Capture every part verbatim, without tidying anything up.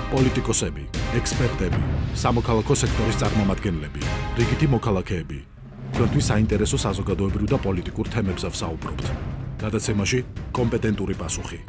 პოლიტიკოსები, ექსპერტები, სამოქალაქო სექტორის წარმომადგენლები, რიგითი მოქალაქეები. Თქვენთვის საინტერესო საზოგადოებრივ და პოლიტიკურ თემებზე ვსაუბრობთ. გადაცემაში კომპეტენტური პასუხი.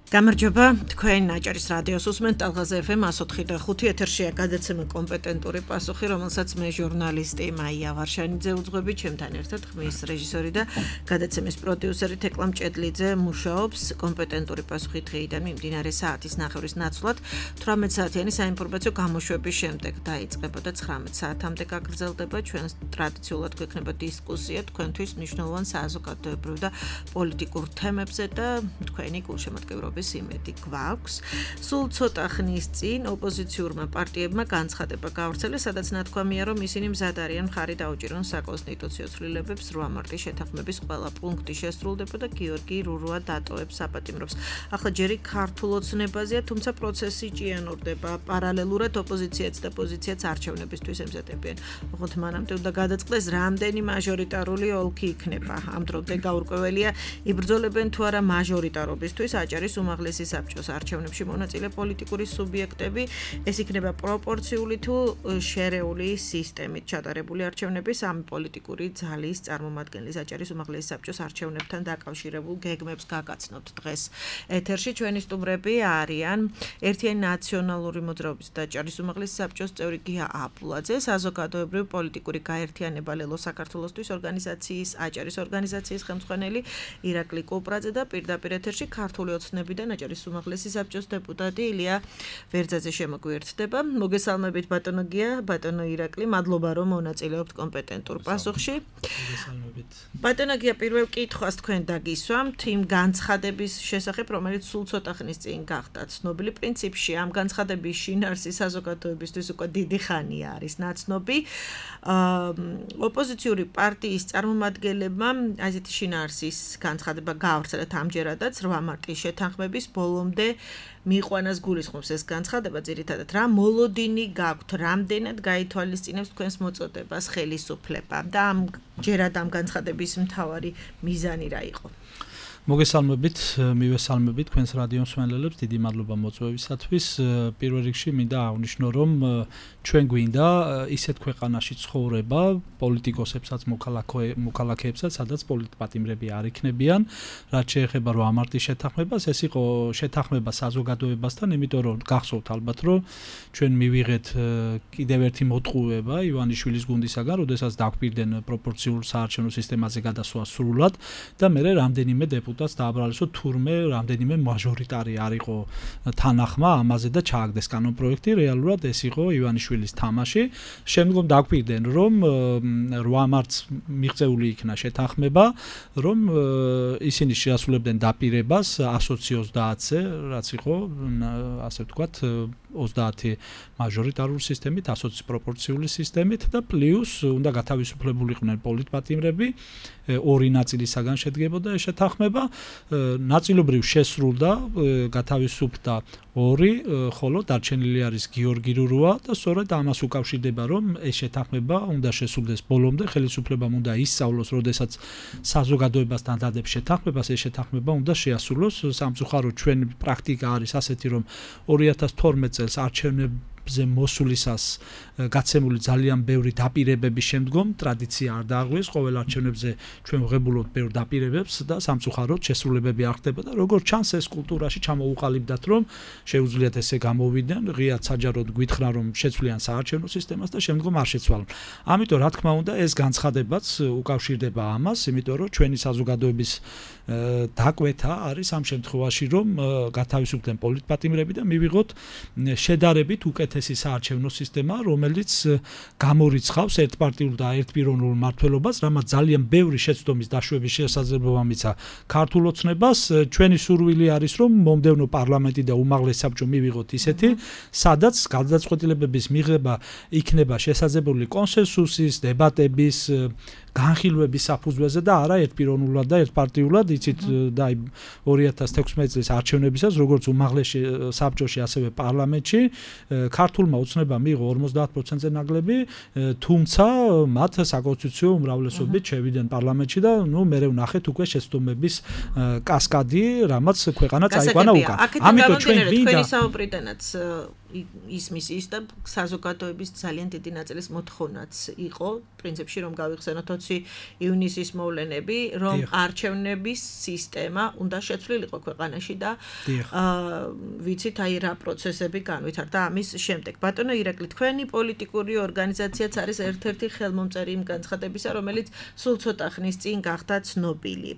გამარჯობა, თქვენ აჭარის რადიოს უსმენთ ტალღაზე ეფ ემ one oh five და ხუთი ეთერშია გადაცემა კომპეტენტური პასუხი, რომელსაც მე ჟურნალისტი მაია ვარშანიძე უძღვები, ჩემთან ერთად ხმის რეჟისორი და გადაცემის პროდიუსერი თეკლა მჭედლიძე მუშაობს. კომპეტენტური პასუხი დღეიდან მიმდინარე საათის ნახევრის ნაცვლად თვრამეტ საათიანი საინფორმაციო გამოშვების შემდეგ დაიწყება და ცხრამეტ საათამდე გაგრძელდება. ჩვენ ტრადიციულად გვექნება დისკუსია თქვენთვის მნიშვნელოვან საზოგადოებრივ და პოლიტიკურ თემებზე და თქვენი გულშემატკივრობა იმედი გვაქვს. სულ ცოტა ხნის წინ ოპოზიციურმა პარტიებმა განცხადება გაავრცელეს, სადაც ნათქვამია, რომ ისინი მზად არიან მხარი დაუჭირონ საკონსტიტუციო ცვლილებებს. რვა მარტის შეთანხმების ყველა პუნქტი შესრულდება და გიორგი რურუა დატოვებს საპატიმრობს. ახლა ჯერი ქართულ ოცნებაზეა, თუმცა პროცესი ჭიანურდება. პარალელურად ოპოზიციაც და პოზიციაც არჩევნებისთვის ემზადებიან. ოღონდ მანამდე უნდა გადაწყდეს, რამდენი მაჟორიტარული ოლქი იქნება. ამ დრომდე გაურკვეველია, იბრძოლებენ თუ არა მაჟორიტარობისთვის აჭარის უმაღლესი საბჭოს არჩევნებში მონაწილე პოლიტიკური სუბიექტები. ეს იქნება პროპორციული თუ შერეული სისტემით ჩატარებული არჩევნები სამი პოლიტიკური ძალის წარმომადგენლის აჭარის უმაღლესი საბჭოს არჩევნებთან დაკავშირებულ გეგმებს გაგაცნობთ დღეს. ეთერში ჩვენი სტუმრები არიან ერთიანი ნაციონალური მოძრაობის და აჭარის უმაღლესი საბჭოს წევრი გია აპულაძე, საზოგადოებრივი პოლიტიკური გაერთიანება ლელო საქართველოსთვის ორგანიზაციის აჭარის ორგანიზაციის ხელმძღვანელი ირაკლი კუპრაძე და პირდაპირ ეთერში ქართული ოცნებიდან აჭარის უმაღლესი საბჭოს დეპუტატი ილია ვერძაძე შემოგვიერთდება. მოგესალმებით ბატონო გია, ბატონო ირაკლი, მადლობა რომ მონაწილეობთ კომპეტენტურ პასუხში. მოგესალმებით. ბატონო გია, პირველ კითხვას თქვენ დაგისვამთ იმ განცხადების შესახებ, რომელიც სულ ცოტა ხნის წინ გახდა ცნობილი. პრინციპში ამ განცხადების შინაარსი საზოგადოებისთვის უკვე დიდი ხანია არის ნაცნობი. ოპოზიციური პარტიის წარმომადგენლებმა ასეთი შინაარსის განცხადება გაავრცელეთ ამჯერადაც რვა მარტის შეთანხმების ბოლომდე მიიყვანას გულისხმობს ეს განცხადება. ძირითადად რა მოლოდინი გაქვთ, რამდენად გაითვალისწინებს თქვენს მოწოდებას ხელისუფლება და ამ ჯერად ამ განცხადების მთავარი მიზანი რა იყო? მოგესალმებით, მივესალმებით თქვენს რადიო მსმენელებს, დიდი მადლობა მოწვევისათვის. პირველ რიგში მინდა აღნიშნო, რომ ჩვენ გვინდა ისეთ ქვეყანაში ცხოვრება პოლიტიკოსებსაც, მოქალაქეებსაც, სადაც პოლიტპატიმრები არ იქნებიან. რაც შეეხება რვა მარტის შეთანხმებას, ეს იყო შეთანხმება საზოგადოებასთან, იმიტომ რომ გახსოვთ ალბათ, რომ ჩვენ მივიღეთ კიდევ ერთი მოტყუება ივანიშვილის გუნდისაგან, როდესაც დაგვირდნენ პროპორციულ საარჩევნო სისტემაზე გადასვლა სრულად და მერე რამდენიმე დეპუტატი დააბრალესო თურმე რამდენიმე მაჟორიტარი არ იყო თანახმა ამაზე და ჩააგდეს კანონპროექტი. რეალურად ეს იყო ივანიშვილის თამაში. შემდგომ დაგვირდნენ, რომ რვა მარტს მიღწეული იქნა შეთანხმება, რომ ისინი შეასრულებდნენ დაპირებას one twenty-ზე, რაც იყო ასე ვთქვათ ოცდაათი მაჟორიტარული სისტემით, one twenty პროპორციული სისტემით და პლუს უნდა გათავისუფლებულიყვნენ პოლიტპატიმრები. ორი ნაწილისაგან შედგებოდა ეს შეთანხმება. ნაწილობრივ შესრულდა, გათავისუფლდა ორი, ხოლო დარჩენილი არის გიორგი რურუა და სწორედ ამას უკავშირდება, რომ ეს შეთანხმება უნდა შესრულდეს ბოლომდე, ხელისუფლებამ უნდა ისწავლოს, როდესაც საზოგადოებასთან დადებს შეთანხმებას, ეს შეთანხმება უნდა შეასრულოს. სამწუხაროდ ჩვენ პრაქტიკა არის ასეთი, რომ ორი ათას თორმეტ წელს არჩევნებზე მოსვლისას გაცემული ძალიან ბევრი დაპირებების შემდგომ ტრადიცია არ დააღვიეს, ყოველ არჩევნებზე ჩვენ ვღებულობთ ბევრ დაპირებებს და სამწუხაროდ შესრულებები არ ხდება და როგორც ჩანს ეს კულტურაში ჩამოუყალიბდათ, რომ შეუძლიათ ესე გამოვიდნენ, ღიად საჯაროდ გვითხრა რომ შეცვლიან საარჩევნო სისტემას და შემდგომ არ შეცვალონ. ამიტომ რა თქმა უნდა ეს განცხადებაც უკავშირდება ამას, იმიტომ რომ ჩვენი საზოგადოების დაკვეთა არის ამ შემთხვევაში, რომ გათავისუფლდნენ პოლიტპატიმრები და მივიღოთ შედარებით უკეთესი საარჩევნო სისტემა, რომელიც გამორიცხავს ერთპარტიულ და ერთპიროვნულ მმართველობას, რამაც ძალიან ბევრი შეცდომის დაშვების შესაძლებლობა მიცა ქართულ ოცნებას. ჩვენი სურვილი არის, რომ მომდევნო პარლამენტი და უმაღლესი საბჭო მივიღოთ ისეთი, სადაც გადაწყვეტილებების მიღება იქნება შესაძლებელი კონსენსუსის, დებატების, განხილვების საფუძველზე და არა ერთპიროვნულად და ერთპარტიულად, იცით და აი ორი ათას თექვსმეტი წლის არჩევნებისას როგორც უმაღლესი საბჭოში, ასევე პარლამენტში ქართულმა ოცნებამ მიიღო ორმოცდაათ პროცენტზე ნაკლები, თუმცა მათ საკონსტიტუციო უმრავლესობით შევიდნენ პარლამენტში და ნუ მე ვნახეთ უკვე შეცდომების კასკადი, რამაც ქვეყანა წაიყვანა უკან. ამიტომ ჩვენ გვინდა თქვენი საუბრიდანაც ისმის ის და საზოგადოების ძალიან დიდი ნაწილის მოთხოვნაც იყო პრინციპში რომ გავიხსენოთ ოცი ივნისის მოვლენები, რომ არჩევნების სისტემა უნდა შეცვლილიყო ქვეყანაში და ვიცით აი რა პროცესები განვითარდა ამის შემდეგ. ბატონო ირაკლი, თქვენი პოლიტიკური ორგანიზაციაც არის ერთ-ერთი ხელმომწერი იმ განცხადებისა, რომელიც სულ ცოტა ხნის წინ გახდა ცნობილი.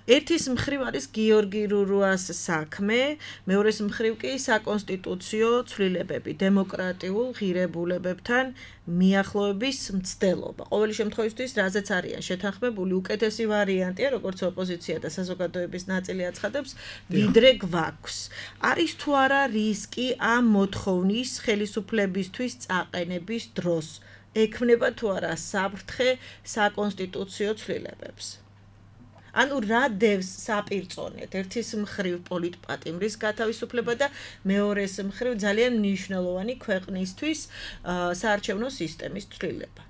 ერთის მხრივ არის გიორგი რურუას საქმე, მეორეს მხრივ კი საკონსტიტუციო ცვლილებები, დემოკრატიულ ღირებულებებთან მიახლოების მცდელობა. ყოველი შემთხვევისთვის, რაზეც არიან შეთანხმებული, უკეთესი ვარიანტია, როგორც ოპოზიცია და საზოგადოების ნაწილი აცხადებს, ვიდრე გვაქვს. არის თუ არა რისკი ამ მოთხოვნის ხელისუფლებისთვის წაყენების დროს? ექმნება თუ არა საფრთხე საკონსტიტუციო ცვლილებებს? ანუ რა დევს საპირწონედ ერთის მხრივ პოლიტპატიმრის გათავისუფლება და მეორეს მხრივ ძალიან მნიშვნელოვანი ქვეყნისთვის საარჩევნო სისტემის ცვლილება.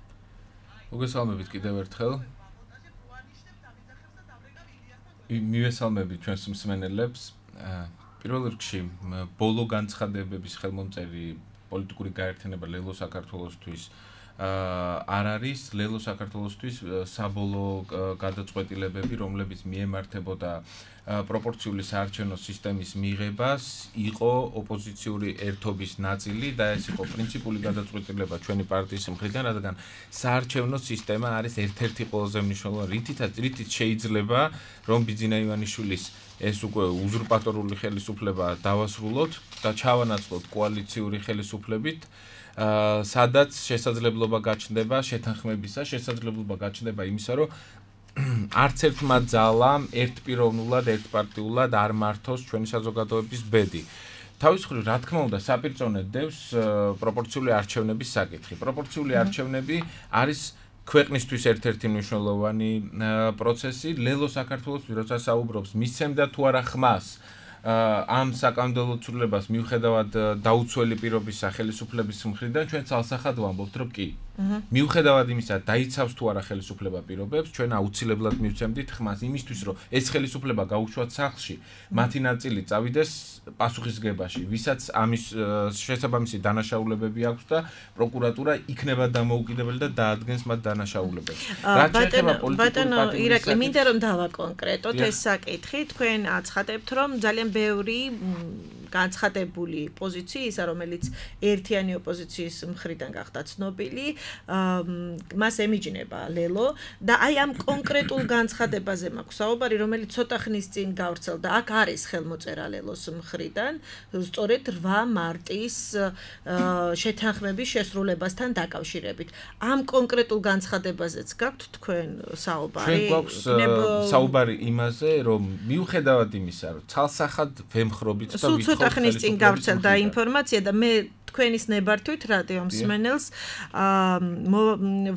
მოგესალმებით კიდევ ერთხელ. მივესალმებით ჩვენს მსმენელებს. პირველ რიგში ბოლო განცხადებების ხელმომწერი პოლიტიკური გაერთიანება ლელო საქართველოსთვის არ არის ლელო საქართველოსთვის საბოლოო გადაწყვეტილებები, რომლებიც მიემართებოდა პროპორციული საარჩევნო სისტემის მიღებას, იყო ოპოზიციური ერთობის ნაწილი და ეს იყო პრინციპული გადაწყვეტილება ჩვენი პარტიის მხრიდან, რადგან საარჩევნო სისტემა არის ერთ-ერთი ყველაზე მნიშვნელოვანი, რითიც რითიც შეიძლება რომ ბიძინა ივანიშვილის ეს უკვე უზურპატორული ხელისუფლება დავასრულოთ და ჩავანაცვლოთ კოალიციური ხელისუფლებით. სადაც შესაძლებლობა გაჩნდება შეთანხმებისა, შესაძლებლობა გაჩნდება იმისა, რომ არც ერთმა ძალამ ერთპიროვნულად, ერთპარტიულად არ მართოს ჩვენი საზოგადოების ბედი. თავის მხრივ, რა თქმა უნდა, საპირწონედ დევს პროპორციული არჩევნების საკითხი. პროპორციული არჩევნები არის ქვეყნისთვის ერთ-ერთი მნიშვნელოვანი პროცესი. ლელო საქართველოს როცა საუბრობს, მისცემდა თუ არა ხმას ამ საკანონმდებლო ცვლილებას მიუხედავად დაუცველი პირობისა ხელისუფლების მხრიდან ჩვენ ცალსახად ვამბობთ, რომ კი. მიუხედავად იმისა, დაიცავს თუ არა ხელისუფლება პირობებს, ჩვენ აუცილებლად მივცემდით ხმას იმისთვის, რომ ეს ხელისუფლება გაუშვათ სახლში, მათი ნაწილი წავიდეს პასუხისგებაში, ვისაც ამის შესაბამისი დანაშაულებები აქვს და პროკურატურა იქნება დამოუკიდებელი და დაადგენს მათ დანაშაულებებს. რაც შეეხება პოლიტიკურ პარტიულ ირაკლი, მინდა რომ დავაკონკრეტოთ ეს საკითხი, თქვენ აცხადებთ, რომ ძალიან ბევრი განცხადებული პოზიციისა, რომელიც ერთიანი ოპოზიციის მხრიდან გახდა ცნობილი, მას ემიჯნება ლელო და აი ამ კონკრეტულ განცხადებაზე მაქვს საუბარი, რომელიც ცოტა ხნის წინ გავრცელდა. აქ არის ხელმოწერა ლელოს მხრიდან, სწორედ რვა მარტის შეთანხმების შესრულებასთან დაკავშირებით. ამ კონკრეტულ განცხადებაზეც გაქვთ თქვენ საუბარი? ჩვენ გვაქვს საუბარი იმაზე, რომ მიუხედავად იმისა, რომ ცალსახად ვემხრობით და ვითხოვთ ხნის წინ გავრცელდა ინფორმაცია და მე თქვენის ნებართვით რადიო მსმენელს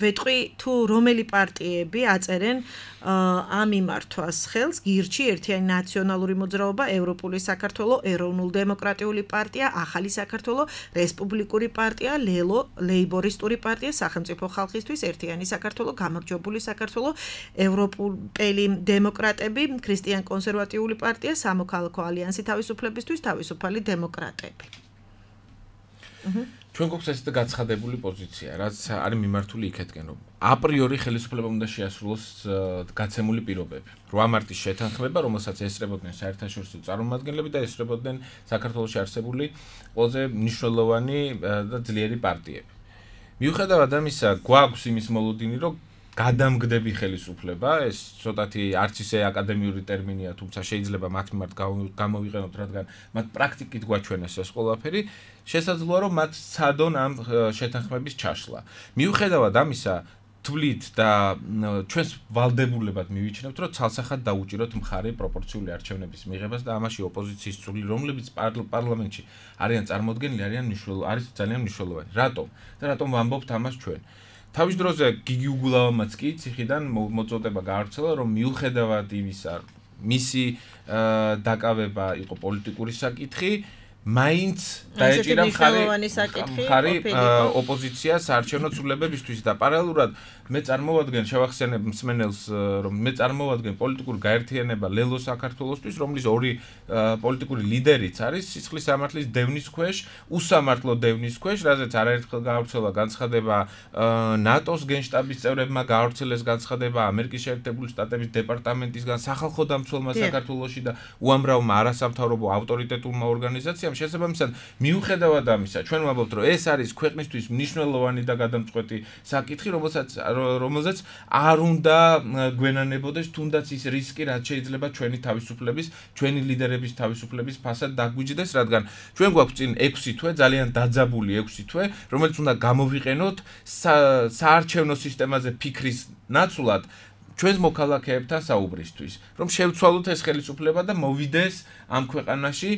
ვეტყვი თუ რომელი პარტიები აწერენ ამ იმართვას ხელს, გირჩი ერთიანი ნაციონალური მოძრაობა, ევროპული საქართველო, ეროვნულ დემოკრატიული პარტია, ახალი საქართველო, რესპუბლიკური პარტია, ლელო, ლეიბორისტული პარტია, სახელმწიფო ხალხისთვის, ერთიანი საქართველო, გამარჯვებული საქართველო, ევროპელი დემოკრატები, ქრისტიან კონსერვატიული პარტია, სამოქალაქო ალიანსი თავისუფლებისთვის, თავისუფალი დემოკრატები. ჩვენ გვაქვს ესეთი გაცხადებული პოზიცია, რაც არის მიმართული იქეთკენ, რომ აპრიორი ხელისუფლებამ უნდა შეასრულოს გაცემული პირობები. რვა მარტის შეთანხმება, რომელსაც ესწრებოდნენ საერთაშორისო წარმომადგენლები და ესწრებოდნენ საქართველოში არსებული ყველაზე მნიშვნელოვანი და ძლიერი პარტიები. მიუხედავად ამისა, გვაქვს იმის მოლოდინი, რომ გადამგდები ხელისუფლება, ეს ცოტათი არც ისე აკადემიური ტერმინია, თუმცა შეიძლება მათ მიმართ გამოვიყენოთ, რადგან მათ პრაქტიკით გვაჩვენეს ეს ყველაფერი, შესაძლოა რომ მათ სცადონ ამ შეთანხმების ჩაშლა. მიუხედავად ამისა, თვლით და ჩვენს ვალდებულებად მივიჩნევთ, რომ ცალსახად დაუჭიროთ მხარი პროპორციული არჩევნების მიღებას და ამაში ოპოზიციის წვლილი, რომლებიც პარლამენტში არიან წარმოდგენილი, არიან მნიშვნელოვანი, არის ძალიან მნიშვნელოვანი. რატომ? და რატომ ვამბობთ ამას ჩვენ? თავის დროზე გიგი უგულავამაც კი ციხიდან მოწოდება გაავრცელა, რომ მიუხედავად იმისა, მისი დაკავება იყო პოლიტიკური საკითხი, მაინც დაეჭირა მხარი ოპოზიციას საარჩევნო ცვლილებებისთვის და პარალელურად მე წარმოვადგენ შევახსენებ მსმენელს, რომ მე წარმოვადგენ პოლიტიკური გაერთიანება ლელო საქართველოსთვის, რომლის ორი პოლიტიკური ლიდერიც არის სისხლის სამართლის დევნის ქვეშ, უსამართლო დევნის ქვეშ, რაზეც არაერთხელ გაავრცელა განცხადება ნატოს გენშტაბის წევრებმა, გაავრცელეს განცხადება ამერიკის შეერთებული შტატების დეპარტამენტისგან, სახალხო დამცველმა საქართველოში და უამრავმა არასამთავრობო ავტორიტეტულმა ორგანიზაციამ. შესაბამისად, მიუხედავად ამისა, ჩვენ ვამბობთ, რომ ეს არის ქვეყნისთვის მნიშვნელოვანი და გადამწყვეტი საკითხი, რომელსაც რომელზეც არ უნდა გვენანებოდეს თუნდაც ის რისკი, რაც შეიძლება ჩვენი თავისუფლების, ჩვენი ლიდერების თავისუფლების ფასად დაგვიჯდეს, რადგან ჩვენ გვაქვს წინ ექვსი თვე, ძალიან დაძაბული ექვსი თვე, რომელიც უნდა გამოვიყენოთ საარჩევნო სისტემაზე ფიქრის ნაცვლად ჩვენს მოქალაქეებთან საუბრისთვის, რომ შევცვალოთ ეს ხელისუფლება და მოვიდეს ამ ქვეყანაში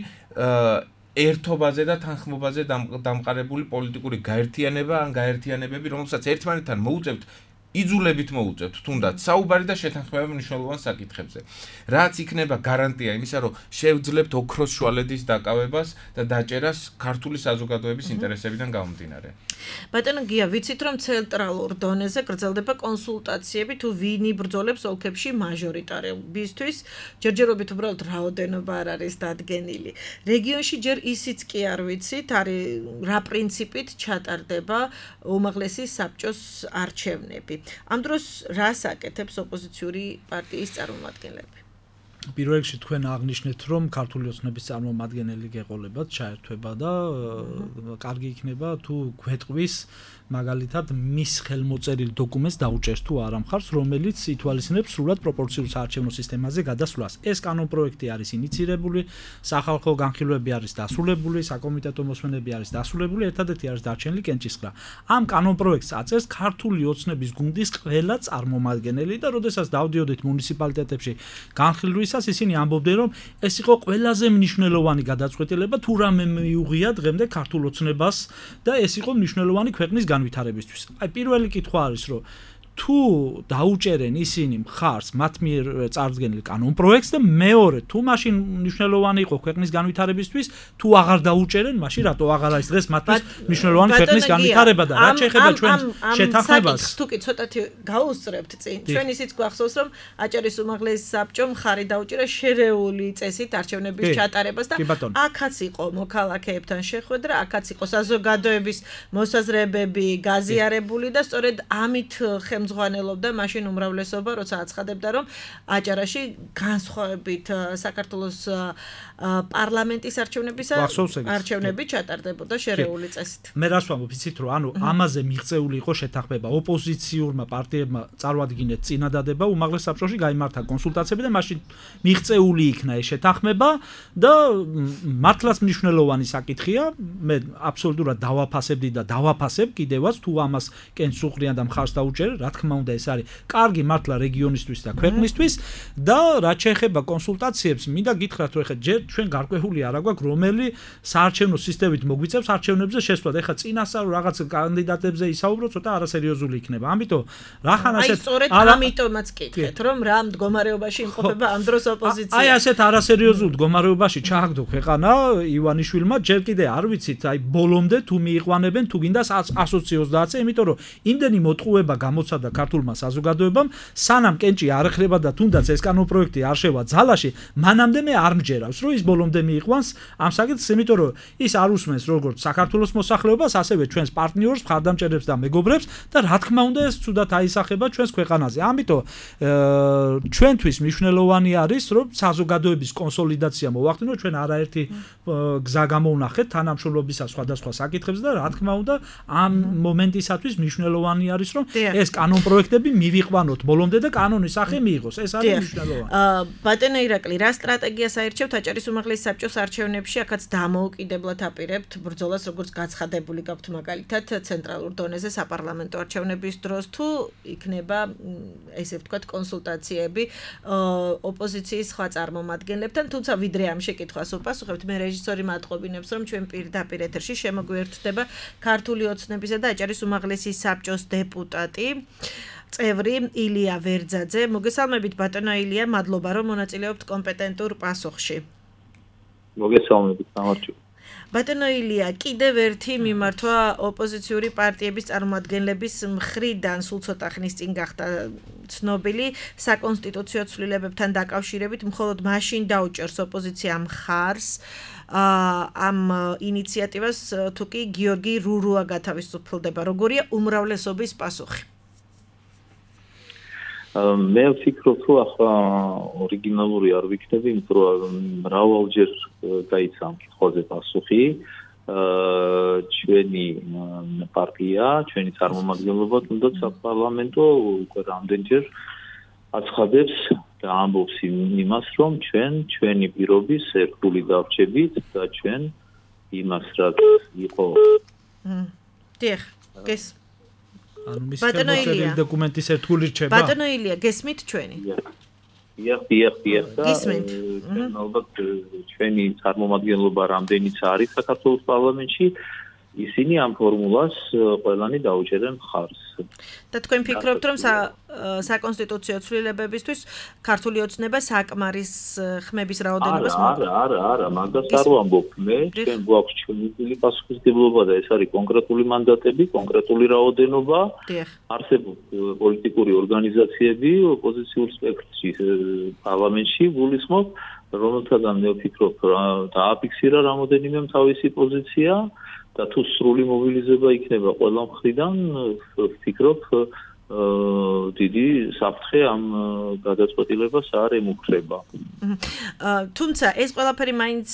ერთობაზე და თანხმობაზე დამყარებული პოლიტიკური გაერთიანება ან გაერთიანებები, რომელსაც ერთმანეთთან მოუწევთ იძულებით მოუწევთ თუნდაც საუბარი და შეთანხმება მნიშვნელოვან საკითხებზე. რაც იქნება გარანტია იმისა, რომ შევძლებთ ოქროს შუალედის დაკავებას და დაჭერას ქართული საზოგადოების ინტერესებიდან გამომდინარე. ბატონო გია, ვიცით რომ ცენტრალურ დონეზე გრძელდება კონსულტაციები თუ ვინ იბრძოლებს ოლქებში მაჟორიტარობისთვის, ჯერჯერობით უბრალოდ რაოდენობა არ არის დადგენილი. რეგიონში ჯერ ისიც კი არ ვიცით, არის რა პრინციპით ჩატარდება უმაღლესი საბჭოს არჩევნები. ამ დროს რას აკეთებს ოპოზიციური პარტიის წარმომადგენლები? პირველ რიგში თქვენ აღნიშნეთ, რომ ქართული ოცნების წარმომადგენელი გეყოლებათ, ჩაერთვება და კარგი იქნება თუ გვეტყვის მაგალითად მის ხელმოწერილ დოკუმენტს დაუჭერს თუ არა მხარს, რომელიც ითვალისწინებს სრულად პროპორციულ საარჩევნო სისტემაზე გადასვლას. ეს კანონპროექტი არის ინიცირებული, სახალხო განხილვები არის დასრულებული, საკომიტეტო მოსმენები არის დასრულებული, ერთადერთი არის დარჩენილი კენჭისყრა. ამ კანონპროექტს აწევს ქართული ოცნების გუნდის ყველა წარმომადგენელი და როდესაც დავდიოდით მუნიციპალიტეტებში განხილვისას, ისინი ამბობდნენ, რომ ეს იყო ყველაზე მნიშვნელოვანი გადაწყვეტილება, თუ რამე მიუღია დღემდე ქართულ ოცნებას და ეს იყო მნიშვნელოვანი ქვეყნის განვითარებისთვის. აი პირველი კითხვა არის, რომ თუ დაუჭერენ ისინი მხარს მათ მიერ წარდგენილ კანონპროექტს და მეორე, თუ მაშინ მნიშვნელოვანი იყო ქვეყნის განვითარებისთვის, თუ აღარ დაუჭერენ, მაშინ რატო აღარ არის დღეს მათთვის მნიშვნელოვანი ქვეყნის განვითარება და რაც შეეხება ჩვენ შეთანხმებას? თუ კი ცოტათი გაუსწრებთ წინ, ჩვენ ისიც გვახსოვს, რომ აჭარის უმაღლესი საბჭომ ხარი დაუჭირა შერეული წესით არჩევნების ჩატარებას და აქაც იყო მოქალაქეებთან შეხვედრა, აქაც იყო საზოგადოების მოსაზრებები გაზიარებული და სწორედ ამით ზღვანელობდა მაშინ უმრავლესობა, როცა აცხადებდა, რომ აჭარაში განსხვავებით საქართველოს პარლამენტის არჩევნებისა არჩევნები ჩატარდებოდა შერეული წესით. მე რას ვამბობ, იცით რომ ანუ ამაზე მიღწეული იყო შეთანხმება. ოპოზიციურმა პარტიებმა წარმოადგინეთ წინადადება, უმაღლეს საბჭოში გაიმართა კონსულტაციები და მაშინ მიღწეული იქნა ეს შეთანხმება და მართლაც მნიშვნელოვანი საკითხია. მე აბსოლუტურად დავაფასებდი და დავაფასებ კიდევაც თუ ამას კენსუღრიან და მხარს დაუჭერენ, რა თქმა უნდა ეს არის კარგი მართლა რეგიონისთვის და ქვეყნისთვის და რაც შეეხება კონსულტაციებს, მინდა გითხრათ, რომ ეხლა ჯერ ჩვენ გარკვეული არა გვაქვს, რომელი საარჩევნო სისტემით მოგვიწევს არჩევნებზე შესვლა. ეხლა წინასწარ რაღაც კანდიდატებზე ისაუბრო, ცოტა არასერიოზული იქნება. ამიტომ რახან ასეთ აი სწორედ ამიტომაც კითხეთ, რომ რა მდგომარეობაში იმყოფება ამ დროს ოპოზიცია. აი ასეთ არასერიოზულ მდგომარეობაში ჩააგდო ქვეყანა ივანიშვილმა, ჯერ კიდე არ ვიცით, აი ბოლომდე თუ მიიყვანებენ, თუ გინდა εκατს ოცდაათზე, იმიტომ რომ იმდენი მოტყუება გამოცადა ქართულმა საზოგადოებამ, სანამ კენჭი არ ხრება და თუნდაც ეს კანონპროექტი არ შევა ძალაში, მანამდე მე არ მჯერავს, რომ ის ბოლომდე მიიყვანს ამ საკითხს, იმიტომ რომ ის არ უსმენს როგორც საქართველოს მოსახლეობას, ასევე ჩვენს პარტნიორს, მხარდამჭერებს და მეგობრებს და რა თქმა უნდა ეს ცუდად აისახება ჩვენს ქვეყანაზე. ამიტომ ჩვენთვის მნიშვნელოვანი არის, რომ საზოგადოების კონსოლიდაცია მოვახდინოთ, ჩვენ არაერთი გზა გამოვნახეთ თანამშრომლობისა სხვადასხვა საკითხებზე და რა თქმა უნდა ამ მომენტისათვის მნიშვნელოვანი არის, რომ ეს კანონ პროექტები მივიყვანოთ ბოლომდე და კანონის სახე მიიღოს. ეს არის მნიშვნელოვანი. აა ბატონო ირაკლი, რა სტრატეგიას აირჩევთ აჭარის უმაღლესი საბჭოს არჩევნებში? აქაც დამოუკიდებლად აპირებთ ბრძოლას, როგორც გაცხადებული გაქვთ მაგალითად ცენტრალურ დონეზე საპარლამენტო არჩევნების დროს, თუ იქნება ესე ვთქვათ კონსულტაციები ოპოზიციის სხვა წარმომადგენლებთან, თუმცა ვიდრე ამ შეკითხვას უპასუხებთ, მე რეჟისორი მატყობინებს, რომ ჩვენ პირდაპირ ეთერში შემოგვიერთდება ქართული ოცნებისა და აჭარის უმაღლესი საბჭოს დეპუტატი წევრი ილია ვერძაძე. მოგესალმებით ბატონო ილია, მადლობა რომ მონაწილეობთ კომპეტენტურ პასუხში. მოგესალმებით, გამარჯობა. ბატონო ილია, კიდევ ერთი მიმართვა ოპოზიციური პარტიების წარმომადგენლების მხრიდან სულ ცოტა ხნის წინ გახდა ცნობილი საკონსტიტუციო ცვლილებებთან დაკავშირებით, მხოლოდ მაშინ დაუჭერს ოპოზიცია მხარს ამ ინიციატივას, თუ კი გიორგი რურუა გათავისუფლდება. როგორია უმრავლესობის პასუხი? მე ვფიქრობ, რომ ახლა ორიგინალური არ ვიქნები, იმიტომ რომ მრავალჯერ გაიცა ამ კითხვაზე პასუხი. ჩვენი პარტია, ჩვენი წარმომადგენლობა, თუნდაც საპარლამენტო უკვე რამდენჯერ აცხადებს და ამბობს იმას, რომ ჩვენ ჩვენი პირობის ერთგული დავრჩებით და ჩვენ იმას, რაც იყო. დიახ, გეს ანუ მის ხელმოწერილი დოკუმენტის ერთგული რჩება? ბატონო ილია, გესმით ჩვენი? დიახ, დიახ, დიახ. ჩვენ ალბათ ჩვენი წარმომადგენლობა რამდენიც არის საქართველოს პარლამენტში, ისინი ამ ფორმულას ყველანი დაუჭერენ მხარს. და თქვენ ფიქრობთ, რომ საკონსტიტუციო ცვლილებებისთვის ქართული ოცნება საკმარის ხმების რაოდენობას არა, არა, არა, მაგას არ ვამბობ მე, ჩვენ გვაქვს ჩვენი პასუხისმგებლობა და ეს არის კონკრეტული მანდატები, კონკრეტული რაოდენობა. არსებობს პოლიტიკური ორგანიზაციები ოპოზიციურ სპექტრში პარლამენტში გულისხმობ, რომელთაგან მე ვფიქრობ, დააფიქსირა რამოდენიმე თავისი პოზიცია. და თუ სრული მობილიზება იქნება ყველა მხრიდან, ვფიქრობ, დიდი საფრთხე ამ გადაწყვეტილებას არ ემუქრება. თუმცა ეს ყველაფერი მაინც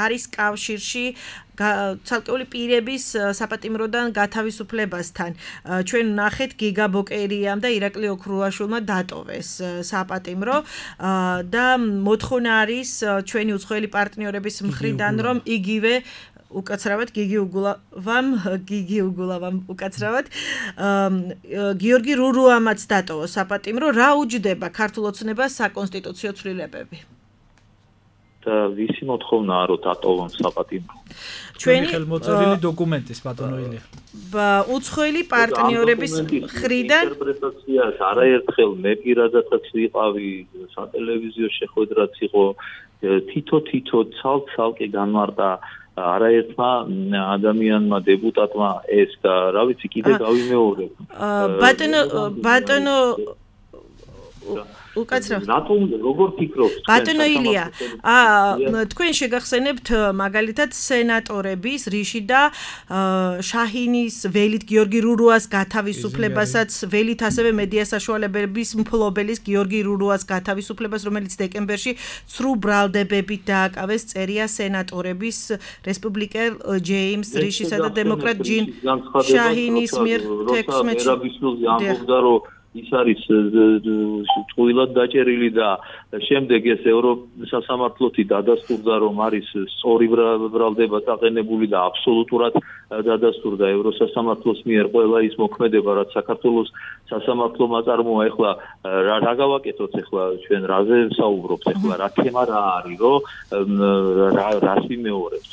არის კავშირში ცალკეული პირების საპატიმროდან გათავისუფლებასთან. ჩვენ ვნახეთ გიგა ბოკერიამ და ირაკლი ოქრუაშვილმა დატოვეს საპატიმრო და მოთხოვნა არის ჩვენი უცხოელი პარტნიორების მხრიდან, რომ იგივე უკაცრავად გიგი უგულავამ გიგი უგულავამ უკაცრავად გიორგი რურუამაც დატოვა საპატიმრო. რა უჯდება ქართულ ოცნებას საკონსტიტუციო ცვლილებები? და ვისი მოთხოვნაა რომ დატოვონ საპატიმრო? ჩვენი ხელმოწერილი დოკუმენტის ბატონო ილია. უცხოელი პარტნიორების მხრიდან ინტერპრეტაციას არაერთხელ მე პირადადაც ვიყავი, სატელევიზიო შეხვედრაც იყო, თითო თითო ცალ-ცალკე განმარტა არაერთმა ადამიანმა დეპუტატმა ეს და რა ვიცი კიდე გავიმეორებ. ბატონო ბატონო უკაცრავ. რატომ როგორ ფიქრობთ? ბატონო ილია, აა თქვენ შეგახსენებთ მაგალითად სენატორების რიში და შაჰინის ველით გიორგი რურუას გათავისუფლებასაც, ველით ასევე მედია საშუალებების მფლობელის გიორგი რურუას გათავისუფლებას, რომელიც დეკემბერში ცრუ ბრალდებებით დააკავეს, წერია სენატორების რესპუბლიკელ ჯეიმს რიშისა და დემოკრატ ჯინ შაჰინის მიერ თექვსმეტში ამბობდა, რომ ის არის ტყუილად დაჭერილი და შემდეგ ეს ევროპის სასამართლოთი დადასტურდა, რომ არის სწორი ბრალდება დაყენებული და აბსოლუტურად დადასტურდა ევროსასამართლოს მიერ ყველა ის მოქმედება, რაც საქართველოს სასამართლომ აწარმოა. ეხლა რა გავაკეთოთ, ეხლა ჩვენ რაზე ვსაუბრობთ, ეხლა რა თემა რა არის, რომ რას ვიმეორებთ,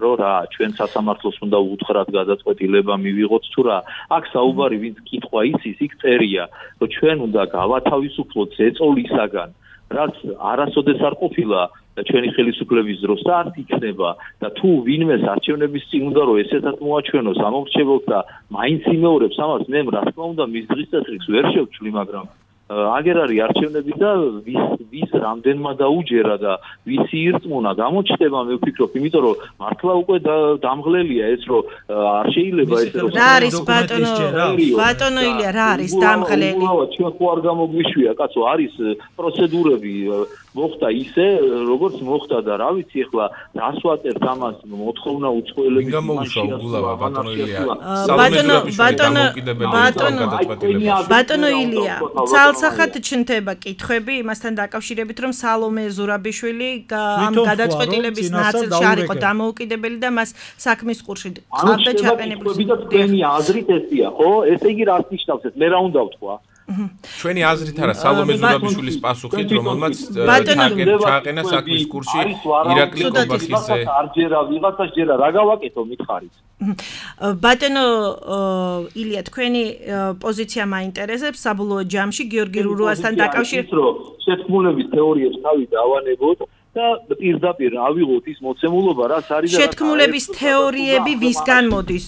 რომ რა ჩვენ სასამართლოს უნდა უთხრათ გადაწყვეტილება მივიღოთ თუ რა. აქ საუბარი ვინც კითხვა იცის, იქ წერია, რომ ჩვენ უნდა გავათავისუფლოთ ზეწოლისაგან, რაც არასოდეს არ ყოფილა ჩვენი ხელისუფლების დროს და არ იქნება და თუ ვინმეს არჩევნების წინ უნდა რომ ესეთად მოაჩვენოს ამომრჩეველს და მაინც იმეორებს ამას, მე რა თქმა უნდა მის დღის წესრიგს ვერ შევჩვლი, მაგრამ აგერ არის არჩევნები და ვის ვის რამდენმა დაუჯერა და ვისი ირწმუნა გამოჩნდება მე ვფიქრობ, იმიტომ რომ მართლა უკვე დამღლელია ეს რომ არ შეიძლება ეს რომ რა არის ბატონო ბატონო ილია რა არის დამღლელი? ჩვენ ხო არ გამოგვიშვია კაცო, არის პროცედურები მოხდა ისე როგორც მოხდა და რა ვიცი ახლა რას ვაწერთ ამას მოთხოვნა უცხოელების გამოუშვა უგულავა ბატონო ილია ბატონო ბატონო ბატონო ბატონო ილია ცალსახად ჩნდება კითხვები იმასთან დაკავშირებით რომ სალომე ზურაბიშვილი ამ გადაწყვეტილების ნაწილში არ იყო დამოუკიდებელი და მას საქმის ყურში ყავდა ჩაყენებული და თქვენი აზრით ესია ხო ესე იგი რას ნიშნავს ეს მე რა უნდა ვთქვა ჩვენი აზრით არა სალომე ზურაბიშვილის პასუხით რომელმაც ჩააყენა საქმის კურსში ირაკლი კობახიძე არჯერა ვიღაცას ჯერა რა გავაკეთო მითხარით ბატონო ილია თქვენი პოზიცია მაინტერესებს საბოლოო ჯამში გიორგი რურუასთან დაკავშირებით რომ შეთქმულების თეორიებს თავი დავანებოთ და პირდაპირ ავიღოთ ის მოცემულობა რაც არის და შეთქმულების თეორიები ვისგან მოდის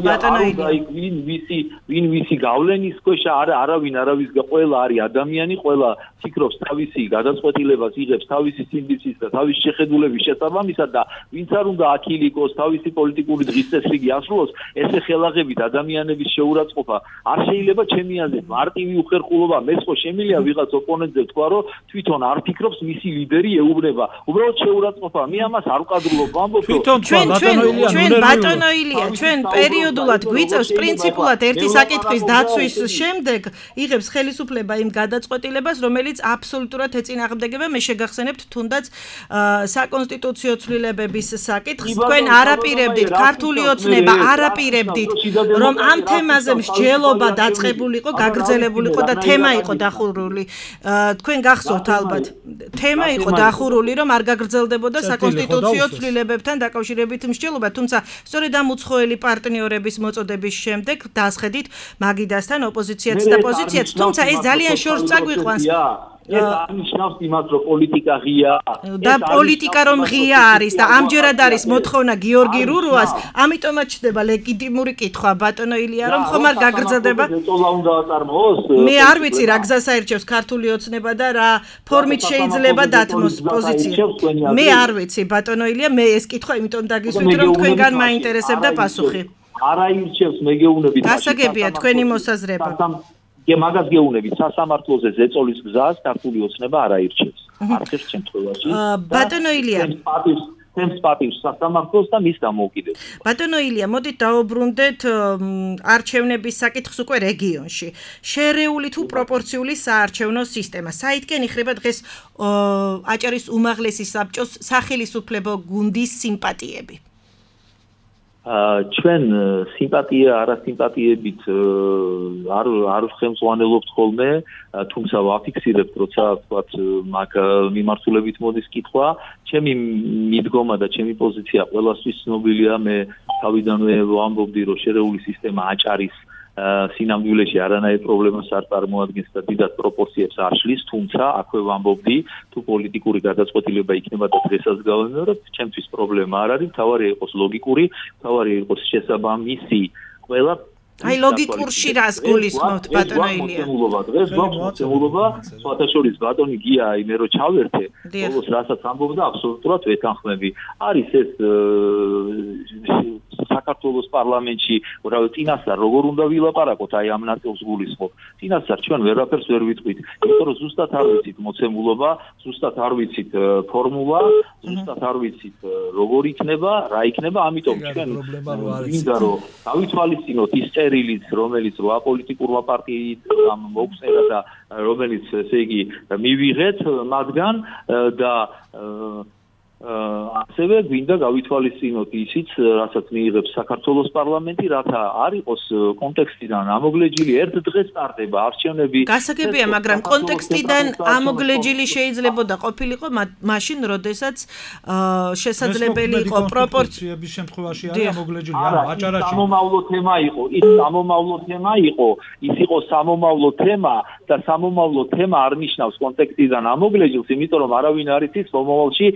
ბატონო ილია ვინ ვისი ვინ ვისი გავლენის ქვეშ არა არავინ არავის ყველა არის ადამიანი ყველა ფიქრობს თავისი გადაწყვეტილებას იღებს თავისი სიმბიცის და თავისი შეხედულების შესაბამისად და ვინც არ უნდა აქილიკოს თავისი პოლიტიკური დღის წესრიგი ასრულოს ესე ხელაღებით ადამიანების შეურაცხყოფა არ შეიძლება ჩემი აზრით მარტივი უხერხულობა მეც ხო შემიძლია ვიღაც ოპონენტზე თქვა რომ თვითონ არ ფიქრობს მისი ლიდერი ეუბნება უბრალოდ შეურაცხყოფა მე ამას არ ვკადრულობ ვამბობ თვითონ ჩვენ ჩვენ ბატონო ილია ჩვენ პერიოდულად გვიწევს პრინციპულად ერთი საკითხის დაცვის შემდეგ იღებს ხელისუფლება იმ გადაწყვეტილებას რომელიც აბსოლუტურად ეწინააღმდეგება მე შეგახსენებთ თუნდაც საკონსტიტუციო ცვლილებების საკითხს თქვენ არაპირებდით ქართული ოცნება არაპირებდით რომ ამ თემაზე მსჯელობა დაწყებულიყო გაგრძელებულიყო და თემა იყო დახურული თქვენ გახსოვთ ალბათ თემა იყო დახურული რომ არ გაგრძელდებოდა საკონსტიტუციო ცვლილებებთან დაკავშირებით მსჯელობა, თუმცა სწორედ ამ უცხოელი პარტნიორების მოწოდების შემდეგ დასხედით მაგიდასთან ოპოზიციაც და პოზიციაც, თუმცა ეს ძალიან შორს წაგვიყვანს. ეს აღნიშნავს იმას, რომ პოლიტიკა ღია და პოლიტიკა რომ ღია არის და ამჯერად არის მოთხოვნა გიორგი რურუას, ამიტომაც ჩნდება ლეგიტიმური კითხვა ბატონო ილია რომ ხომ არ გაგრძელდება. მე არ ვიცი რა გზას აირჩევს ქართული ოცნება და რა ფორმით შეიძლება დათმოს პოზიცია. მე არ ვიცი ბატონო ილია, მე ეს კითხვა იმიტომ დაგისვით რომ თქვენგან მაინტერესებდა პასუხი. არ აირჩევს მეგეუნებით. გასაგებია თქვენი მოსაზრება. კი მაგას გეუბნებით სასამართლოზე ზეწოლის გზას ქართული ოცნება არ აირჩევს არხის შემთხვევაში ბატონო ილია თემს პატივს სასამართლოს და მის დამოუკიდებლობას ბატონო ილია მოდით დაუბრუნდეთ არჩევნების საკითხს უკვე რეგიონში შერეული თუ პროპორციული საარჩევნო სისტემა საითკენ იხრება დღეს აჭარის უმაღლესი საბჭოს სახელისუფლებო გუნდის სიმპათიები ჩვენ სიმპათია არასიმპათიებით არ არ ხელმძღვანელობთ ხოლმე თუმცა ვაფიქსირებთ როცა ვთქვათ მაგ მიმართულებით მოდის კითხვა ჩემი მიდგომა და ჩემი პოზიცია ყველასთვის ცნობილია მე თავიდანვე ვამბობდი რომ შერეული სისტემა აჭარის სინამდვილეში არანაირ პრობლემას არ წარმოადგენს და დიდად პროპორციებს არ შლის, თუმცა აქვე ვამბობდი, თუ პოლიტიკური გადაწყვეტილება იქნება და დღესაც გავიმეორებ, ჩემთვის პრობლემა არ არის, თავარი იყოს ლოგიკური, თავარი იყოს შესაბამისი ყველა აი ლოგიკურში რას გულისხმობთ ბატონო ილია? მოცემულობა დღეს გვაქვს მოცემულობა, სხვათაშორის ბატონი გია მე რო ჩავერთე, ბოლოს რასაც ამბობდა აბსოლუტურად ვეთანხმები. არის ეს საქართველოს პარლამენტში, რა წინასწარ როგორ უნდა ვილაპარაკოთ, აი ამ ნაწილს გულისხმობ. წინასწარ ჩვენ ვერაფერს ვერ ვიტყვით, იმიტომ რომ ზუსტად არ ვიცით მოცემულობა, ზუსტად არ ვიცით ფორმულა, ზუსტად არ ვიცით როგორ იქნება, რა იქნება, ამიტომ ჩვენ მინდა რომ დავითვალისწინოთ ის წერილიც, რომელიც რო აპოლიტიკურმა პარტიამ მოგვწერა და რომელიც ესე იგი მივიღეთ მათგან და ასევე გვინდა გავითვალისწინოთ ისიც, რასაც მიიღებს საქართველოს პარლამენტი, რათა არ იყოს კონტექსტიდან ამოგლეჯილი ერთ დღეს ტარდება არჩევნები. გასაგებია, მაგრამ კონტექსტიდან ამოგლეჯილი შეიძლებოდა ყოფილიყო მაშინ, როდესაც შესაძლებელი იყო პროპორციების შემთხვევაში არის ამოგლეჯილი, ანუ აჭარაში. სამომავლო თემა იყო, ის სამომავლო თემა იყო, ის იყო სამომავლო თემა და სამომავლო თემა არ ნიშნავს კონტექსტიდან ამოგლეჯილს, იმიტომ რომ არავინ არ იცის მომავალში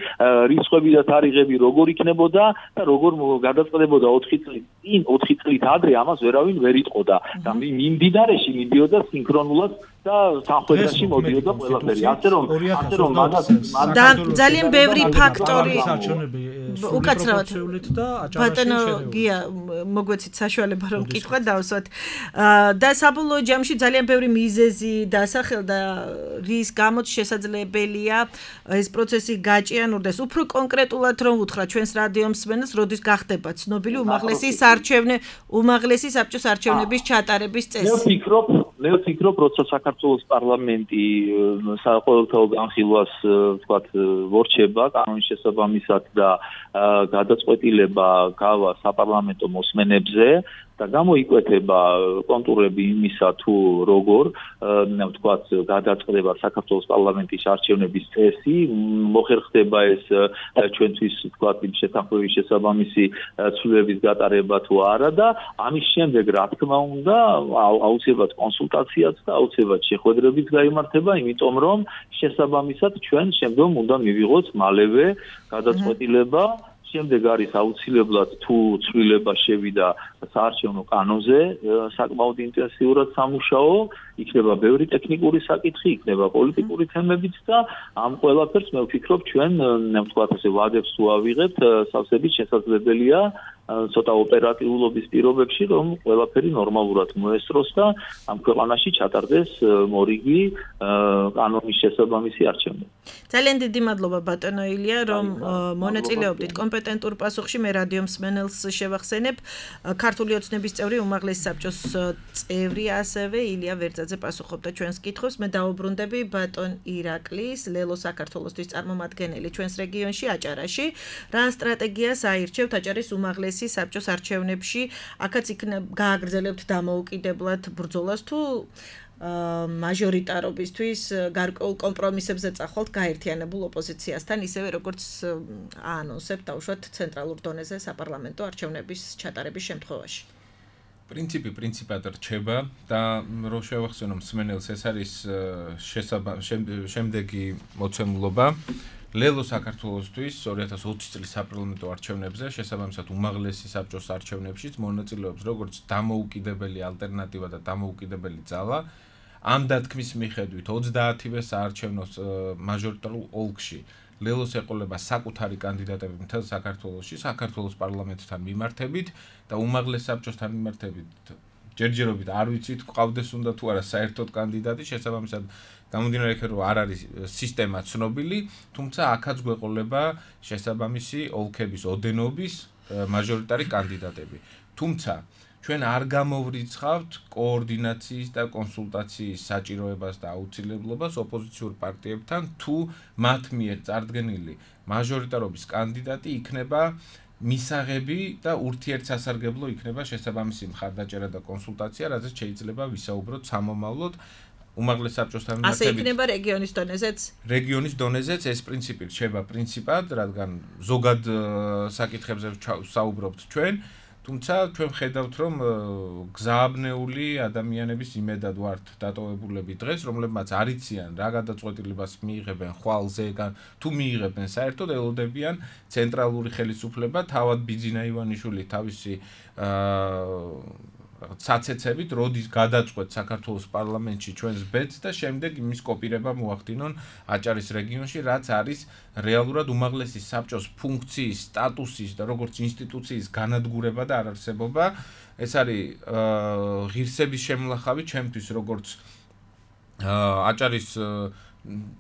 რიცხვები და თარიღები როგორ იქნებოდა და როგორ გადაწყდებოდა ოთხი წლით წინ, ოთხი წლით ადრე ამას ვერავინ ვერ იტყოდა და მიმდინარეში მიდიოდა სინქრონულად და თანხმობაში მოდიოდა ყველაფერი. ასე რომ ასე რომ მაგას და ძალიან ბევრი ფაქტორი უკაცრავად და ბატონო გია მოგვეცით საშუალება რომ კითხვა დავსვათ და საბოლოო ჯამში ძალიან ბევრი მიზეზი დასახელდა რის გამოც შესაძლებელია ეს პროცესი გაჭიანურდეს. უფრო კონკრეტულად რომ უთხრა ჩვენს რადიო მსმენელს, როდის გახდება ცნობილი უმაღლესი საარჩევნო უმაღლესი საბჭოს არჩევნების ჩატარების წესი. მე ვფიქრობ, მე ვფიქრობ, როცა საქართველოს პარლამენტი საყოველთაო განხილვას ვთქვათ ვორჩება კანონის შესაბამისად და გადაწყვეტილება გავა საპარლამენტო მოსმენებზე და გამოიკვეთება კონტურები იმისა თუ როგორ ვთქვათ გადაწყდება საქართველოს პარლამენტის არჩევნების წესი, მოხერხდება ეს ჩვენთვის ვთქვათ იმ შეთანხმების შესაბამისი ცვლილებების გატარება თუ არა და ამის შემდეგ რა თქმა უნდა აუცილებლად კონსულტაციაც და აუცილებლად შეხვედრებიც გაიმართება, იმიტომ რომ შესაბამისად ჩვენ შემდგომ უნდა მივიღოთ მალევე გადაწყვეტილება. შემდეგ არის აუცილებლად თუ ცვლილება შევიდა საარჩევნო კანონზე საკმაოდ ინტენსიურად სამუშაო, იქნება ბევრი ტექნიკური საკითხი, იქნება პოლიტიკური თემებიც და ამ ყველაფერს მე ვფიქრობ ჩვენ ვთქვათ ასე ვადებს თუ ავიღებთ, სავსებით შესაძლებელია ცოტა ოპერატიულობის პირობებში რომ ყველაფერი ნორმალურად მოესწროს და ამ ქვეყანაში ჩატარდეს მორიგი კანონის შესაბამისი არჩევნები. ძალიან დიდი მადლობა ბატონო ილია რომ მონაწილეობდით კომპეტენტურ პასუხში. მე რადიო მსმენელს შევახსენებ ქართული ოცნების წევრი უმაღლესი საბჭოს წევრი ასევე ილია ვერძაძე პასუხობდა ჩვენს კითხვებს. მე დაუბრუნდები ბატონ ირაკლის ლელო საქართველოსთვის წარმომადგენელი ჩვენს რეგიონში აჭარაში. რა სტრატეგიას აირჩევთ აჭარის უმაღლესი საბჭოს არჩევნებში? აქაც იქნებ გააგრძელებთ დამოუკიდებლად ბრძოლას თუ მაჟორიტარობისთვის გარკვეულ კომპრომისებზე წახვალთ გაერთიანებულ ოპოზიციასთან, ისევე როგორც აანონსებთ დავუშვათ ცენტრალურ დონეზე საპარლამენტო არჩევნების ჩატარების შემთხვევაში. პრინციპი პრინციპად რჩება და რო შევახსენო მსმენელს, ეს არის შემდეგი მოცემულობა. ლელო საქართველოსთვის ორი ათას ოცი წლის საპარლამენტო არჩევნებზე შესაბამისად უმაღლესი საბჭოს არჩევნებშიც მონაწილეობს როგორც დამოუკიდებელი ალტერნატივა და დამოუკიდებელი ძალა. ამ დათქმის მიხედვით ოცდაათივე საარჩევნო მაჟორიტარულ ოლქში ლელოს ეყოლება საკუთარი კანდიდატები მთელ საქართველოში, საქართველოს პარლამენტთან მიმართებით და უმაღლეს საბჭოსთან მიმართებით ჯერჯერობით არ ვიცით ყავდეს უნდა თუ არა საერთოდ კანდიდატი, შესაბამისად გამომდინარე იქიდან რომ არ არის სისტემა ცნობილი, თუმცა აქაც გვეყოლება შესაბამისი ოლქების ოდენობის მაჟორიტარი კანდიდატები. თუმცა ჩვენ არ გამოვრიცხავთ კოორდინაციის და კონსულტაციის საჭიროებას და აუცილებლობას ოპოზიციურ პარტიებთან, თუ მათ მიერ წარდგენილი მაჟორიტარობის კანდიდატი იქნება მისაღები და ურთიერთსასარგებლო იქნება შესაბამისი მხარდაჭერა და კონსულტაცია, რაზეც შეიძლება ვისაუბროთ სამომავლოდ უმაღლეს საბჭოსთან მიმართებით. ასე იქნება რეგიონის დონეზეც? რეგიონის დონეზეც ეს პრინციპი რჩება პრინციპად, რადგან ზოგად საკითხებზე ვსაუბრობთ ჩვენ, თუმცა ჩვენ ხედავთ რომ გზააბნეული ადამიანების იმედად ვართ დატოვებულები დღეს, რომლებმაც არ იციან რა გადაწყვეტილებას მიიღებენ ხვალზე, თუ მიიღებენ საერთოდ ელოდებიან ცენტრალური ხელისუფლება, თავად ბიძინა ივანიშვილი თავისი საცეცებით როდის გადაწყვეტ საქართველოს პარლამენტში ჩვენს ბედს და შემდეგ იმის კოპირება მოახდინონ აჭარის რეგიონში, რაც არის რეალურად უმაღლესი საბჭოს ფუნქციის, სტატუსის და როგორც ინსტიტუციის განადგურება და არარსებობა. ეს არის ღირსების შემლახავი ჩემთვის როგორც აჭარის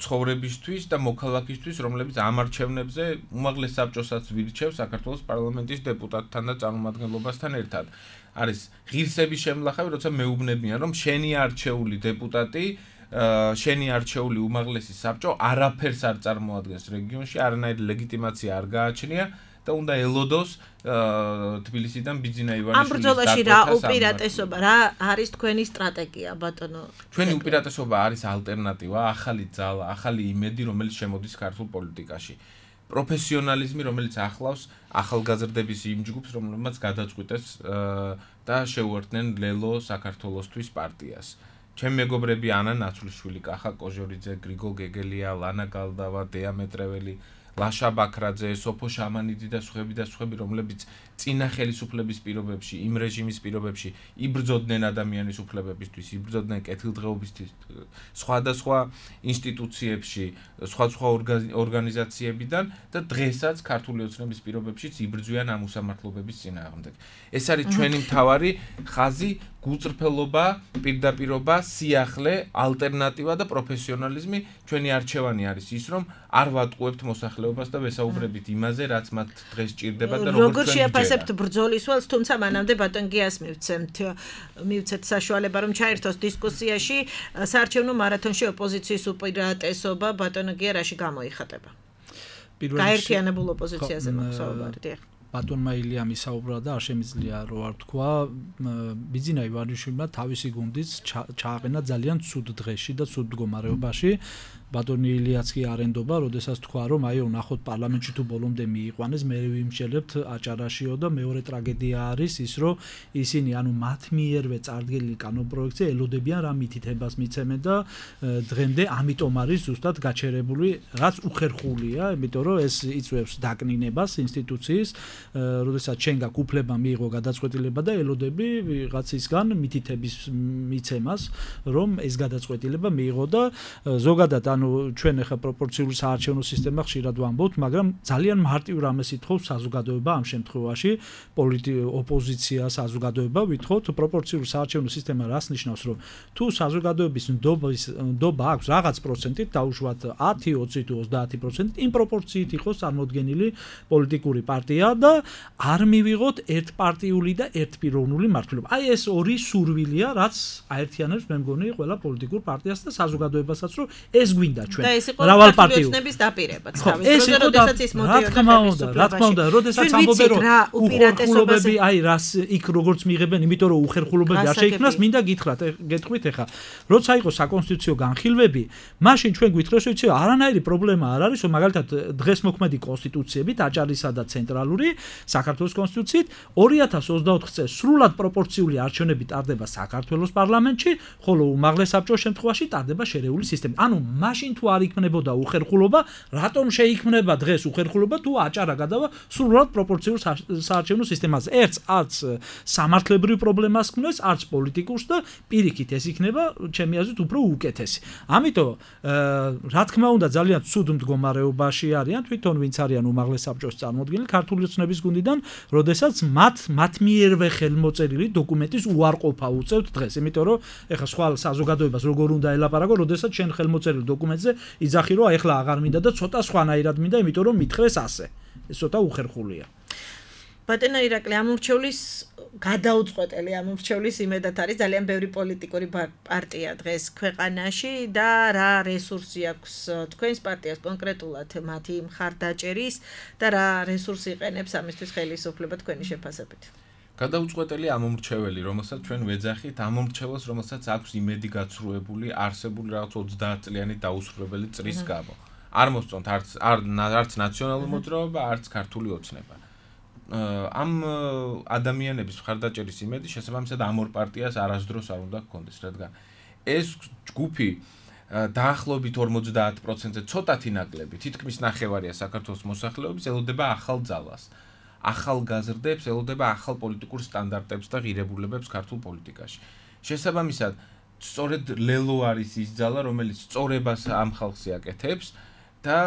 ცხოვრებისთვის და მოქალაქისთვის, რომლებიც ამ არჩევნებზე უმაღლეს საბჭოსაც ვირჩევს საქართველოს პარლამენტის დეპუტატთან და წარმომადგენლობასთან ერთად. არის ღირსების შემლახავი, როცა მეუბნებიან, რომ შენი არჩეული დეპუტატი, შენი არჩეული უმაღლესი საბჭო არაფერს არ წარმოადგენს რეგიონში, არანაირი ლეგიტიმაცია არ გააჩნია და უნდა ელოდოს თბილისიდან ბიძინა ივანიშვილის ამ ბრძოლაში რა უპირატესობა, რა არის თქვენი სტრატეგია, ბატონო? ჩვენი უპირატესობა არის ალტერნატივა, ახალი ძალა, ახალი იმედი, რომელიც შემოდის ქართულ პოლიტიკაში. პროფესიონალიზმი, რომელიც ახლავს ახალგაზრდების იმ ჯგუფს, რომლებმაც გადაწყვიტეს და შეუერთდნენ ლელო საქართველოსთვის პარტიას. ჩემი მეგობრები ანა ნაცვლიშვილი, კახა კოჟორიძე, გრიგოლ გეგელია, ლანა გალდავა, დეა მეტრეველი, ლაშა ბაქრაძე, სოფო შამანიდი და სხვები და სხვები, რომლებიც წინა ხელისუფლების პირობებში, იმ რეჟიმის პირობებში იბრძოდნენ ადამიანის უფლებებისთვის, იბრძოდნენ კეთილდღეობისთვის, სხვადასხვა ინსტიტუციებში, სხვადასხვა ორგანიზაციებიდან და დღესაც ქართული ოცნების პირობებშიც იბრძვიან ამ უსამართლობების წინააღმდეგ. ეს არის ჩვენი მთავარი ხაზი, გულწრფელობა, პირდაპირობა, სიახლე, ალტერნატივა და პროფესიონალიზმი. ჩვენი არჩევანი არის ის, რომ არ ვატყუებთ მოსახლეობას და ვესაუბრებით იმაზე, რაც მათ დღეს ჭირდება და როგორ შეაფასებთ ბრძოლის ველს, თუმცა მანამდე ბატონ გიას მივცემთ, მივცეთ საშუალება, რომ ჩაერთოს დისკუსიაში საარჩევნო მარათონში ოპოზიციის უპირატესობა ბატონ გია რაში გამოიხატება? გაერთიანებულ ოპოზიციაზე მოგსაუბარეთ. ბატონმა ილიამი საუბრა და არ შემიძლია რო არ თქვა, ბიძინა ივანიშვილმა თავისი გუნდიც ჩააყენა ძალიან ცუდ დღეში და ცუდ მდგომარეობაში. ბატონი ილიაც კი არენდობა, როდესაც თქვა, რომ აი ნახოთ პარლამენტში თუ ბოლომდე მიიყვანეს, მე ვიმსჯელებთ აჭარაშიო და მეორე ტრაგედია არის ის, რომ ისინი ანუ მათ მიერვე წარდგენილი კანონპროექტზე ელოდებიან რა მითითებას მიცემენ და დღემდე ამიტომ არის ზუსტად გაჩერებული, რაც უხერხულია, იმიტომ რომ ეს იწვევს დაკნინებას ინსტიტუციის, როდესაც ჩვენ გაქვს უფლება მიიღო გადაწყვეტილება და ელოდები ვიღაცისგან მითითების მიცემას, რომ ეს გადაწყვეტილება მიიღო და ზოგადად ანუ ჩვენ ახლა პროპორციული საარჩევნო სისტემა ხშირად ვამბობთ, მაგრამ ძალიან მარტივ რამეს ითხოვს საზოგადოება ამ შემთხვევაში, ოპოზიცია, საზოგადოება ვითხოვთ პროპორციული საარჩევნო სისტემა რას ნიშნავს, რომ თუ საზოგადოების ნდობის ნდობა აქვს რაღაც პროცენტით, დაუშვათ ათი, ოცი თუ ოცდაათი პროცენტით, იმ პროპორციით იყოს წარმოდგენილი პოლიტიკური პარტია და არ მივიღოთ ერთპარტიული და ერთპიროვნული მართლობა. აი ეს ორი სურვილია, რაც აერთიანებს მე მგონი ყველა პოლიტიკურ პარტიას და საზოგადოებასაც, რომ ეს გვინდა ჩვენ მრავალ პარტიულობის დაპირებაც თავის დროზე, როდესაც ის მოდიოდა ხელისუფლებაში. რა თქმა უნდა, როდესაც ამბობენ რომ უხერხულობები, აი რას იქ როგორც მიიღებენ, იმიტომ რომ უხერხულობები არ შეიქმნას, მინდა გითხრათ, გეტყვით ახლა, როცა იყო საკონსტიტუციო განხილვები, მაშინ ჩვენ გვითხრეს, ვიცი, არანაირი პრობლემა არ არის, რომ მაგალითად დღეს მოქმედი კონსტიტუციებით, აჭარისა და ცენტრალური საქართველოს კონსტიტუციით ორი ათას ოცდაოთხ წელს სრულად პროპორციული არჩევნები ტარდება საქართველოს პარლამენტში, ხოლო უმაღლეს საბჭოს შემთხვევაში ტარდება შერეული სისტემით. ანუ მაშინ თუ არ იქნებოდა უხერხულობა, რატომ შეიქმნება დღეს უხერხულობა თუ აჭარა გადავა სრულად პროპორციულ საარჩევნო სისტემაზე? ერთს არც სამართლებრივ პრობლემას ქმნეს, არც პოლიტიკურს და პირიქით ეს იქნება ჩემი აზრით უფრო უკეთესი. ამიტომ რა თქმა უნდა ძალიან ცუდ მდგომარეობაში არიან თვითონ ვინც არიან უმაღლეს საბჭოს წარმოადგენელი ქართული ოცნების გუნდიდან, როდესაც მათ მათ მიერვე ხელმოწერილი დოკუმენტის უარყოფა უწევთ დღეს, იმიტომ რომ ეხლა სხვა საზოგადოებას როგორ უნდა ელაპარაკო, როდესაც შენ ხელმოწერილ დოკუმენტზე იძახი რომ ეხლა აღარ მინდა და ცოტა სხვანაირად მინდა, იმიტომ რომ მითხრეს ასე. ეს ცოტა უხერხულია. ბატონო ირაკლი, ამურჩევლის გადაუწყვეტელი ამურჩევლის იმედად არის ძალიან ბევრი პოლიტიკური პარტია დღეს ქვეყანაში და რა რესურსი აქვს თქვენს პარტიას კონკრეტულად მათი მხარდაჭერის და რა რესურსი იყენებს ამისთვის ხელისუფლება თქვენი შეფასებით? გადაუწყვეტელი ამომრჩეველი, რომელსაც ჩვენ ვეძახით, ამომრჩეველს, რომელსაც აქვს იმედი გაცრუებული, არსებული რაღაც ოცდაათ წლიანი დაუსრულებელი წრის გამო. არ მოსწონთ არც არც ნაციონალური მოძრაობა, არც ქართული ოცნება. ამ ადამიანების მხარდაჭერის იმედი შესაბამისად ამ ორ პარტიას არასდროს არ უნდა გქონდეს, რადგან ეს ჯგუფი დაახლოებით ორმოცდაათ პროცენტზე ცოტათი ნაკლები, თითქმის ნახევარია საქართველოს მოსახლეობის ელოდება ახალ ძალას. ახალგაზრდებს ელოდება ახალ პოლიტიკურ სტანდარტებს და ღირებულებებს ქართულ პოლიტიკაში. შესაბამისად, სწორედ ლელო არის ის ძალა, რომელიც სწორებას ამ ხალხს აკეთებს და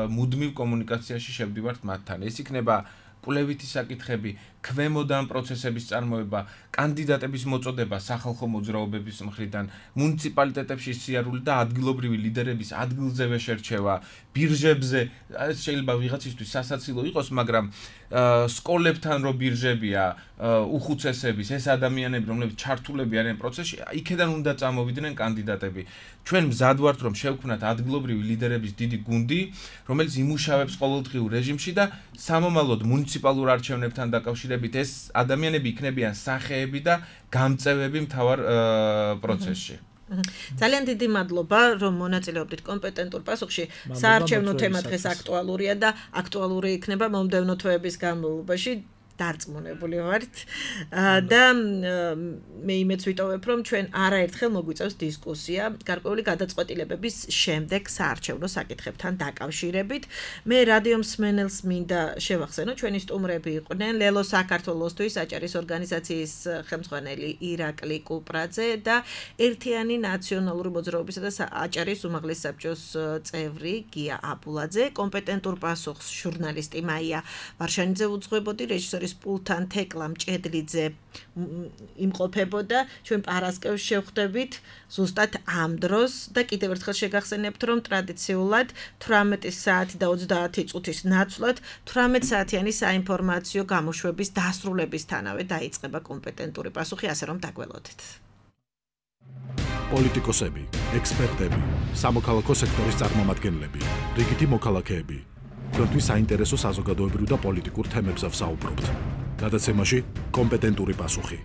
მუდმივ კომუნიკაციაში შევდივართ მათთან. ეს იქნება კვლევითი საკითხები, ქვემოდან პროცესების წარმოება, კანდიდატების მოწოდება სახალხო მოძრაობების მხრიდან, მუნიციპალიტეტებში სიარული და ადგილობრივი ლიდერების ადგილზევე შერჩევა, ბირჟებზე, ეს შეიძლება ვიღაცისთვის სასაცილო იყოს, მაგრამ სკოლებთან რო ბირჟებია, უხუცესების, ეს ადამიანები, რომლებიც ჩართულები არიან პროცესში, იქედან უნდა წამოვიდნენ კანდიდატები. ჩვენ მზად ვართ, რომ შევქმნათ ადგილობრივი ლიდერების დიდი გუნდი, რომელიც იმუშავებს ყოველდღიურ რეჟიმში და სამომავლოდ მუნიციპალურ არჩევნებთან დაკავშირებით ეს ადამიანები იქნებიან სახეები და გამწევები მთავარ პროცესში. ძალიან დიდი მადლობა, რომ მონაწილეობდით კომპეტენტურ პასუხში. საარჩევნო თემა დღეს აქტუალურია და აქტუალური იქნება მომდევნო თვეების განმავლობაში. დარწმუნებული ვართ და მე იმეც ვიტოვებ რომ ჩვენ არაერთხელ მოგვიწევს დისკუსია გარკვეული გადაწყვეტილებების შემდეგ საარჩევნო საკითხებთან დაკავშირებით. მე რადიო მსმენელს მინდა შევახსენო ჩვენი სტუმრები იყვნენ ლელო საქართველოსთვის აჭარის ორგანიზაციის ხელმძღვანელი ირაკლი კუპრაძე და ერთიანი ნაციონალური მოძრაობისა და აჭარის უმაღლეს საბჭოს წევრი გია აბულაძე, კომპეტენტურ პასუხს ჟურნალისტი მაია ვარშანიძე უძღვებოდი, რეჟისორი პულთან თეკლა მჭედლიძე იმყოფებოდა. ჩვენ პარასკევს შევხვდებით ზუსტად ამ დროს და კიდევ ერთხელ შეგახსენებთ რომ ტრადიციულად თვრამეტი საათი და ოცდაათი წუთის ნაცვლად თვრამეტ საათიანი საინფორმაციო გამოშვების დასრულებისთანავე დაიწყება კომპეტენტური პასუხი, ასე რომ დაგველოდეთ. პოლიტიკოსები, ექსპერტები, სამოქალაქო სექტორის წარმომადგენლები, რიგითი მოქალაქეები. თქვენთვის საინტერესო საზოგადოებრივ და პოლიტიკურ თემებზე ვსაუბრობთ. გადაცემაში კომპეტენტური პასუხი.